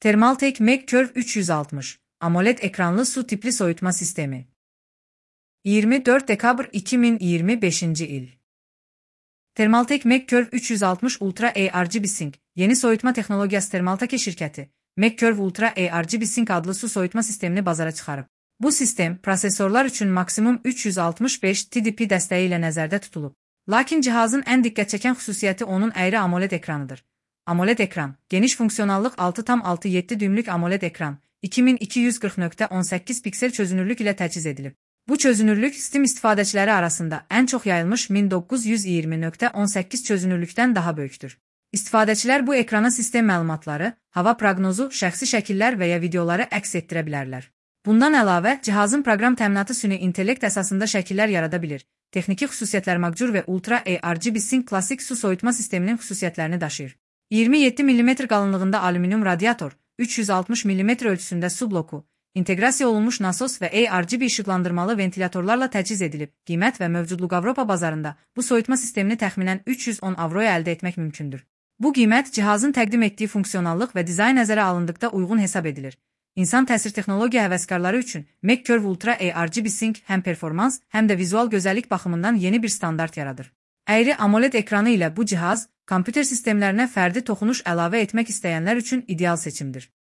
Thermaltake MagCurve 360 AMOLED ekranlı su tipli soyutma sistemi. 24 dekabr 2025 il. Thermaltake MagCurve 360 Ultra ARGB Sync yeni soyutma texnologiyası Thermaltake şirkəti MagCurve Ultra ARGB Sync adlı su soyutma sistemini bazara çıxarıb. Bu sistem prosesorlar üçün maksimum 365 TDP dəstəyi ilə nəzərdə tutulub. Lakin cihazın ən diqqət çəkən xüsusiyyəti onun əyri AMOLED ekranıdır. AMOLED ekran, geniş funksiyonallıq 6,7 düymlük AMOLED ekran, 2240x18 piksel çözünürlük ilə təchiz edilib. Bu çözünürlük Steam istifadəçiləri arasında ən çox yayılmış 1920x18 çözünürlükdən daha böyükdür. İstifadəçilər bu ekrana sistem məlumatları, hava proqnozu, şəxsi şəkillər və ya videoları əks etdirə bilərlər. Bundan əlavə, cihazın proqram təminatı süni intellekt əsasında şəkillər yarada bilir. Texniki xüsusiyyətlər MagCurve və Ultra ARGB Sync klassik su soyutma sisteminin xüsusiyyətlərini daşıyır. 27 mm qalınlığında alüminium radiator, 360 mm ölçüsündə su bloku, inteqrasiya olunmuş nasos və ARGB işıqlandırmalı ventilatorlarla təchiz edilib. Qiymət və mövcudluq Avropa bazarında bu soyutma sistemini təxminən 310 avroya əldə etmək mümkündür. Bu qiymət cihazın təqdim etdiyi funksionallıq və dizayn nəzərə alındıqda uyğun hesab edilir. İnsan təsir texnologiya həvəskarları üçün MagCurve Ultra ARGB Sync həm performans, həm də vizual gözəllik baxımından yeni bir standart yaradır. Əyri AMOLED ekranı ilə bu cihaz, kompüter sistemlərinə fərdi toxunuş əlavə etmək istəyənlər üçün ideal seçimdir.